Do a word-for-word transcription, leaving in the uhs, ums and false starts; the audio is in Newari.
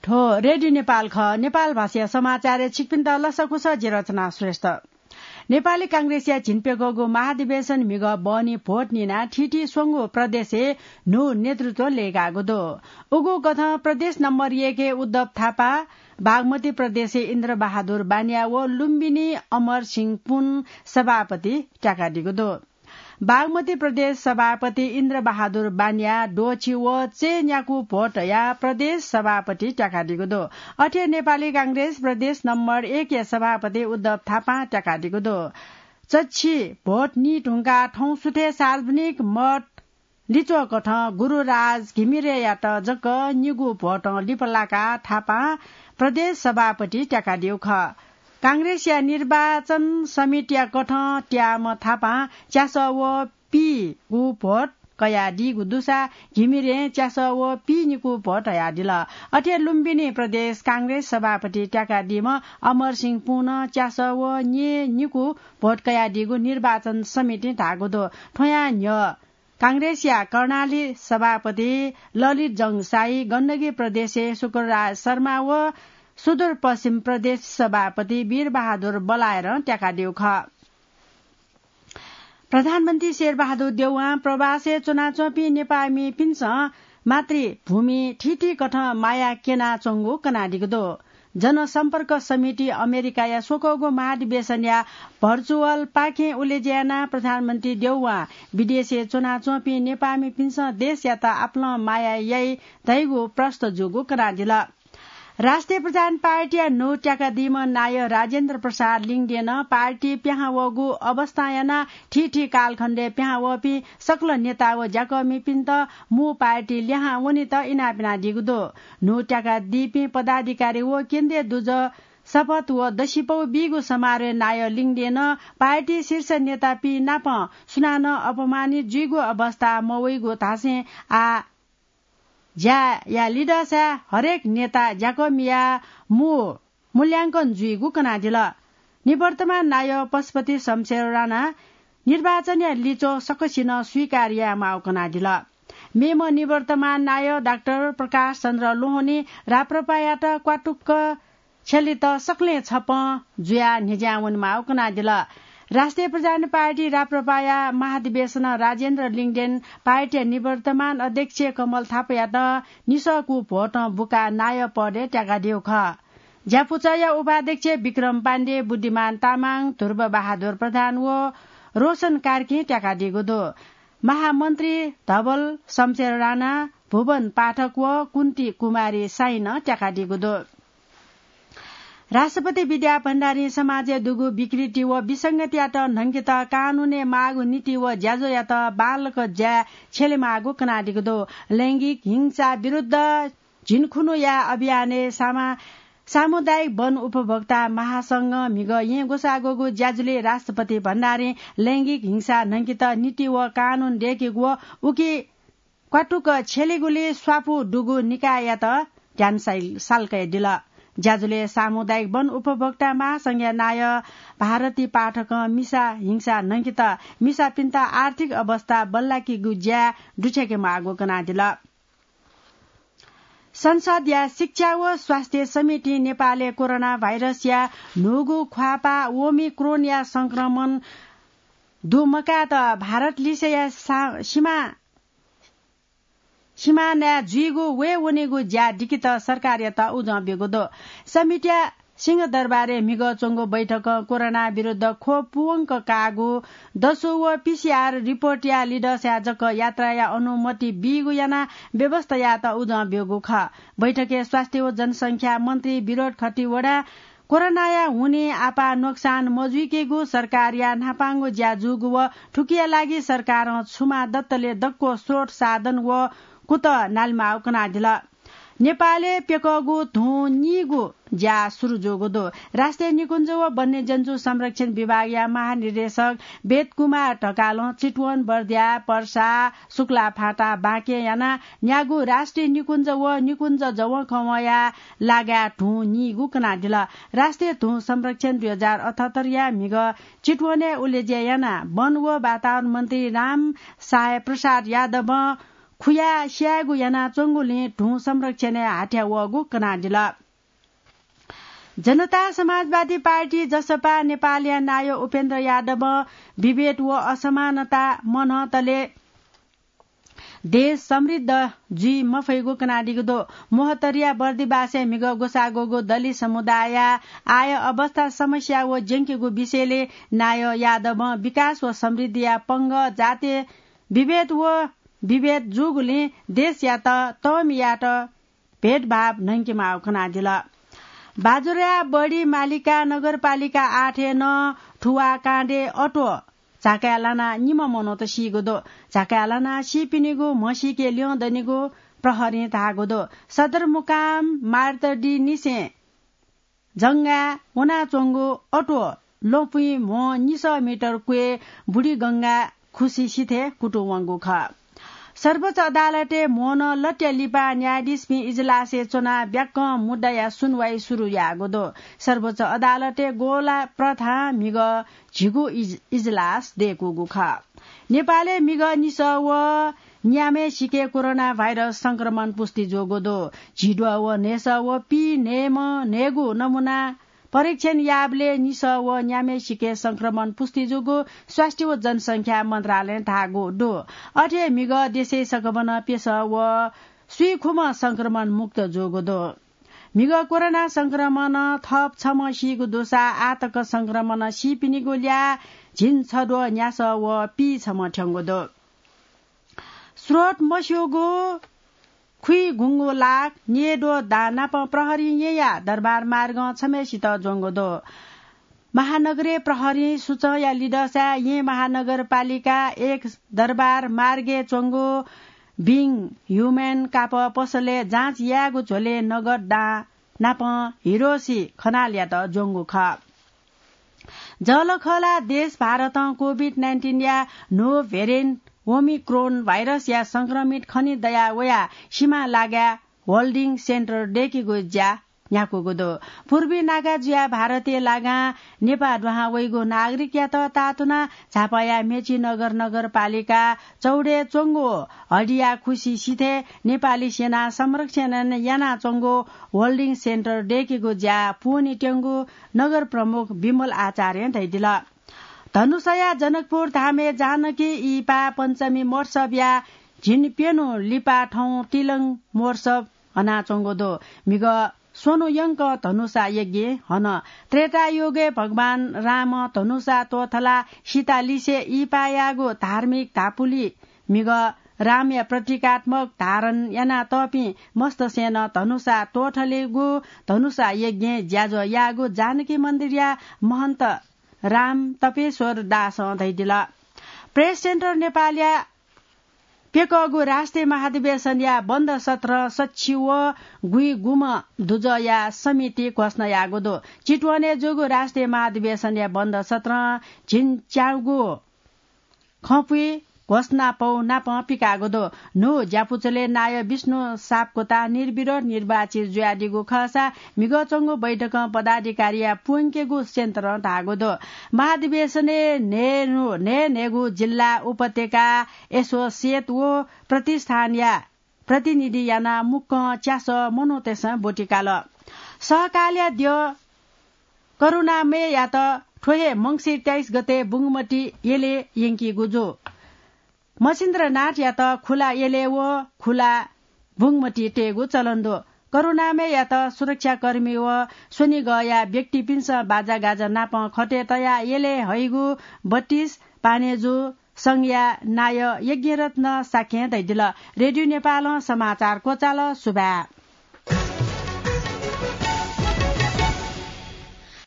थ्व रेडियो नेपाल खः। नेपाल भाषाया समाचारय् छिकपिन्त लसकुस, जि रचना श्रेष्ठ। नेपाली कांग्रेसया झिंप्यघौगु महाधिवेशन म्हिगः बहनी भोट निनाः थीथी स्वंगू प्रदेशय् न्हू नेतृत्व लय्कागु दु। उगु कथं प्रदेश नम्बर एकय् उद्धव थापा, बागमती प्रदेशय् इन्द्रबहादुर बानिया व लुम्बिनी अमरसिंह पुन सभापति त्याकादीगु दु। बागमती प्रदेश सभापति इन्द्रबहादुर बानिया द्वःछि व चय्न्याकू भोट हयाः प्रदेश सभापति त्याकादीगु दु। अथे नेपाली कांग्रेस प्रदेश नम्बर एकया सभापति उद्धव थापां त्याकादीगु दु। चच्छि भोट नी धुंकाः थौं सुथय् सार्वजनिक मत लिच्वः कथं गुरुराज घिमिरेयात जक निगू भोटं लिपलाकाः थापां प्रदेश सभापति त्याकादीगु खः। कांग्रेसया निर्वाचन समितिया कथं त्याःम्ह थापां च्यासः व पीगू भोट कयादीगु दुसा घिमिरें च्यासः व पीनिकू भोट हयादिल। अथे लुम्बिनी प्रदेश कांग्रेस सभापति त्याकादीम्ह अमरसिंह पुनं च्यासः व न्यय्निकू भोट कयादीगु निर्वाचन समितिं धाःगु दु। थ्वयां न्ह्यः कांग्रेसया कर्णाली सभापति ललित जंग शाही, गण्डकी प्रदेशय् शुक्रराज शर्मा व सुदूरपश्चिम प्रदेश सभापति वीरबहादुर बलायरं त्याकादीगु खः। प्रधानमन्त्री शेरबहादुर देउवां प्रवासय् च्वनाच्वंपिं नेपाःमिपिन्सं मातृभूमि थीथी कथं माया क्यनाच्वंगु कनादीगु दु। जनसम्पर्क समिति अमेरिकाया स्वकःगु महाधिवेशनया भर्चुअल पाखें उलेज्या यानाः प्रधानमन्त्री देउवां विदेशय् च्वनाच्वंपिं नेपाःमिपिन्सं देशयात आपालं माया याइ धइगु प्रष्ट जूगु कनादिल। राष्ट्रिय प्रधान पार्टीया न्हू त्याकादीम्ह नायः राजेन्द्र प्रसाद लिङदेनं पार्टी पिहां वःगु अवस्थां यानाः थीथी कालखण्डय् पिहां वःपिं सकल नेता व ज्याकःमिपिन्त मू पार्टी लिहां वनेत इनाप यानादीगु दु। न्हू त्याकादीपिं पदाधिकारी व केन्द्रीय दुजः शपथ व दसिपौ बीगु समारोहय् नायः लिङदेनं पार्टी शीर्ष नेतापिं नाप सुनानं अपमानित जुइगु अवस्था मवइगु धासें आः ज्याया लिधःसाय् हरेक नेता ज्याकःमिया मू मूल्यांकन जुइगु कनादिल। निवर्तमान नायः पशुपति शमशेर राणा निर्वाचनया लिच्वः सकसिनं स्वीकार यायेमाःगु कनादिल। मेम्ह निवर्तमान नायः डाक्टर प्रकाश चन्द्र लोहनी राप्रपायात क्वातुक्क छ्यलेत सकलें छप्पँ जुयाः न्ह्यज्यां वनेमाःगु कनादिल। राष्ट्रिय प्रधान पार्टी राप्रपाया महाधिवेशनं राजेन्द्र लिङदेन पार्टीया निवर्तमान अध्यक्ष कमल थापायात निसःकू भोटं बुकाः नायः पदय् त्याकादीगु खः। ज्यापुचःया उपाध्यक्ष विक्रम पाण्डे, बुद्धिमान तामाङ, ध्रुव बहादुर प्रधान व रोशन कार्कीं त्याकादीगु दु। महामन्त्री धवल शमशेर राणा, भुवन पाठक व कुन्ती कुमारी साइनं त्याकादीगु दु। राष्ट्रपति विद्या भण्डारीं समाजय् दुगु विकृति व विसंगतियात न्हंकेत कानूनय् माःगु नीति व ज्याझ्वःयात बांलाक ज्याय् छ्यलेमाःगु कनादीगु दु। लैंगिक हिंसा विरुद्ध झिंखुन्हुया अभियानय् सामा-, सामुदायिक वन उपभोक्ता महासंघं म्हिगः येँ ग्वसाःग्वःगु ज्याझ्वलय् राष्ट्रपति भण्डारीं लैंगिक हिंसा न्हंकेत नीति व कानून दय्केगु व उकी क्वातुक छ्यलेगुली स्वापू दुगु निकाययात ध्यान साइ-, साल कयादिल। ज्याझ्वलय् सामुदायिक वन उपभोक्ता महासंघया नायः भारती पाठकं मिसा हिंसा न्हंकेत मिसापिन्त आर्थिक अवस्था बल्लाकेगु ज्या दुछ्याकेमाःगु कनादिल। संसदया शिक्षा व स्वास्थ्य समितिं नेपालय् कोरोना भाइरसया न्हूगु ख्वाःपाः ओमिक्रोनया संक्रमण दुमकाःत भारत लिसेया सा-, सीमा, सीमानाय् जुइगु वयेवनेगु ज्या दिकेत सरकारयात उजं ब्यूगु दु। समितिया सिंहदरबारय् म्हिगः च्वंगु बैठकं कोरोना विरुद्ध खोप पूवंक काःगु दसु व पीसीआर रिपोर्टया लिधःसाय् जक यात्राया अनुमति बीगु यानाः व्यवस्था यायेत उजं ब्यूगु खः। बैठकय् स्वास्थ्य व जनसंख्या मन्त्री विनोद खतिवडां कोरोनाया हुनिं आपाः नोक्सान मजुइकेगु सरकारया न्हापांगु ज्या जूगु व थुकिया लागि सरकारं छुमा दतले दक्व स्रोत साधन व कुतः नालेमाःगु कनादिल। नेपालय् प्यकःगु धुं नीगु ज्या सुरु जूगु दु। राष्ट्रिय निकुञ्ज व वन्यजन्तु संरक्षण विभागया महानिर्देशक वेद कुमार ढकालं चितवन, बर्दिया, पर्सा, सुक्लाफाँटा, बाँके यानाः न्यागू राष्ट्रिय निकुञ्ज व निकुञ्ज जवंखवंया लागाय् धुं नीगु कनादिल। राष्ट्रिय धुं संरक्षण दुई हजार अठहत्तरया म्हिगः चितवनय् उलेज्या यानाः वन व वातावरण मन्त्री राम साय प्रसाद यादवं फुया स्यायेगु यानाच्वंगुलिं धुं संरक्षणय् हाथ्या वःगु कनादिल। जनता समाजवादी पार्टी, जसपा, नेपालया नायः उपेन्द्र यादवं विभेद व असमानता मनंतले देश समृद्ध जुइ मफइगु कनादीगु दु। मोहतरिया बर्दिबासय् म्हिगः ग्वसाः ग्वःगु दलित समुदायया आय अवस्था, समस्या व ज्यंकेगु विषयले नायः यादवं विकास व समृद्धिया पंगः जातीय विभेद व विभेद जूगुलिं देशयात तःमि यायेत भेदभाव न्हंकेमाःगु कनादिल। बाजुराया बढी मालिका नगरपालिका आठय् नं थुवाः काण्डय् अत्वः झाकाय् लानाः निम्ह मनूत सीगु दु। झाकाय् लानाः सीपिनिगु म्हसीके ल्यं दनिगु प्रहरीं धाःगु दु। सदरमुकाम मार्तडीनिसें जंगा वनाच्वंगु अत्वः ल्वपुइ म्हो निसः मिटर क्वय् बुढी गंगा खुसि सिथय् कुतुं वंगु खः। सर्वोच्च अदालतय् म्होनं लत्या लिपा न्यायाधीशपिं इजलासय् च्वनाः ब्याक्कं मुद्दाया सुनवाई सुरु याःगु दु। सर्वोच्च अदालतय् गोला प्रथां म्हिगः झिगू इज-, इजलास दय्कूगु खः। नेपालय् म्हिगः निसः व न्याम्हय् सिके कोरोना भाइरस संक्रमण पुष्टि जूगु दु। झिद्वः व न्हय्सः व पीः न्हय्म्ह न्हय्गू नमुना परीक्षण याःबलय् निसः व न्याम्हय् सिके संक्रमण पुष्टि जूगु स्वास्थ्य व जनसंख्या मन्त्रालयं धाःगु दु। अथे म्हिगः देशय् सकभनं प्यसः व स्वीखुम्ह संक्रमण मुक्त जूगु दु। म्हिगः कोरोना संक्रमणं थप छम्ह सीगु दुसा आः तक संक्रमणं सीपिनिगु ल्याः झिंछद्वः न्यासः व पीः छम्ह थ्यंगु दु। स्रोत मस्यूगु खुइगुंगु लाख न्येद्वः दां नाप प्रहरीं येँया दरबार मार्गं छम्हय्सित ज्वंगु दु। महानगरीय प्रहरीं सुचंया लिधंसाय् येँ महानगरपालिका एक दरबार मार्गय् च्वंगु बिङ ह्युमेन कापः पसलय् जाँच यायेगु झ्वलय् नगद दां नापं हिरोसी खनालयात ज्वंगु खः। जःलाखःला देश भारतं कोभिड नाइन्टिनया न्हू भेरिएन्ट ओमिक्रोन भाइरसया संक्रमित खने दया वयाः सिमा लागाय् होल्डिङ सेन्टर दय्केगु ज्या न्ह्याकूगु दु। पूर्वी नागा जुयाः भारतय् लागां नेपाः दुहां वइगु नागरिकयात ताःतुनाः झापाया मेचीनगर नगरपालिका चौधय् च्वंगु हडिया खुसि सिथय् नेपाली सेनां संरक्षण यानाच्वंगु होल्डिङ सेन्टर दय्केगु ज्या पूवने त्यंगु नगर प्रमुख विमल आचार्यं धयादिल। धनुषाया जनकपुर धामय् जानकी इहिपाः पञ्चमी महोत्सवया झिंप्यन्हु लिपा थौं तिलंग महोत्सव हनाच्वंगु दु। म्हिगः स्वन्हु यंकं धनुषा यज्ञ हन। त्रेतायुगय् भगवान रामं धनुषा त्वथलाः सीता लिसे इहिपाः याःगु धार्मिक धापुलि म्हिगः रामया प्रतीकात्मक धारण यानातःपिं मस्तसेनं धनुषा त्वथलेगु धनुषा यज्ञय् ज्याझ्वः याःगु जानकी मन्दिरया महन्त राम तपेश्वर दासं धयादिल। प्रेस सेन्टर नेपालया प्यकःगु राष्ट्रिय महाधिवेशनया बन्द सत्रं सच्छि व गुइगुम्ह दुजःया समिति घोषणा याःगु दु। चितवनय् जूगु राष्ट्रिय महाधिवेशनया बन्द सत्रं झिंच्यागू खँपुइ घोषणापौ नापं पिकाःगु दु। न्हू ज्यापुचलय् नायः विष्णु सापकोटा निर्विरोध निर्वाचित जुयादीगु खःसा म्हिगः च्वंगु बैठकं पदाधिकारीया प्वंकेगु सेन्टरं धाःगु दु। महाधिवेशनय् न्हय्न्हु, न्हय्न्हय्गू जिल्ला, उपत्यका, एसोसिएट व प्रतिष्ठानया प्रतिनिधि यानाः मुक्कं च्यासः मनूतय्सं ब्वति काल। सहकालया द्यः करुणामययात थ्व हे मंसिर तेइस गते बुंगमती यलय् यंकीगु जू। मच्छिन्द्रनाथयात खुला यलय् व खुला बुंगमती तयेगु चलन दु। करुणामययात सुरक्षाकर्मी व स्वनिगःया व्यक्तिपिन्सं बाजागाजा नापं खतय् तयाः यलय् हइगु बत्तीस पानेजु संघया नायः यज्ञरत्न शाक्यं धयादिल। रेडियो नेपालं समाचार क्वचाल। सुभाय्।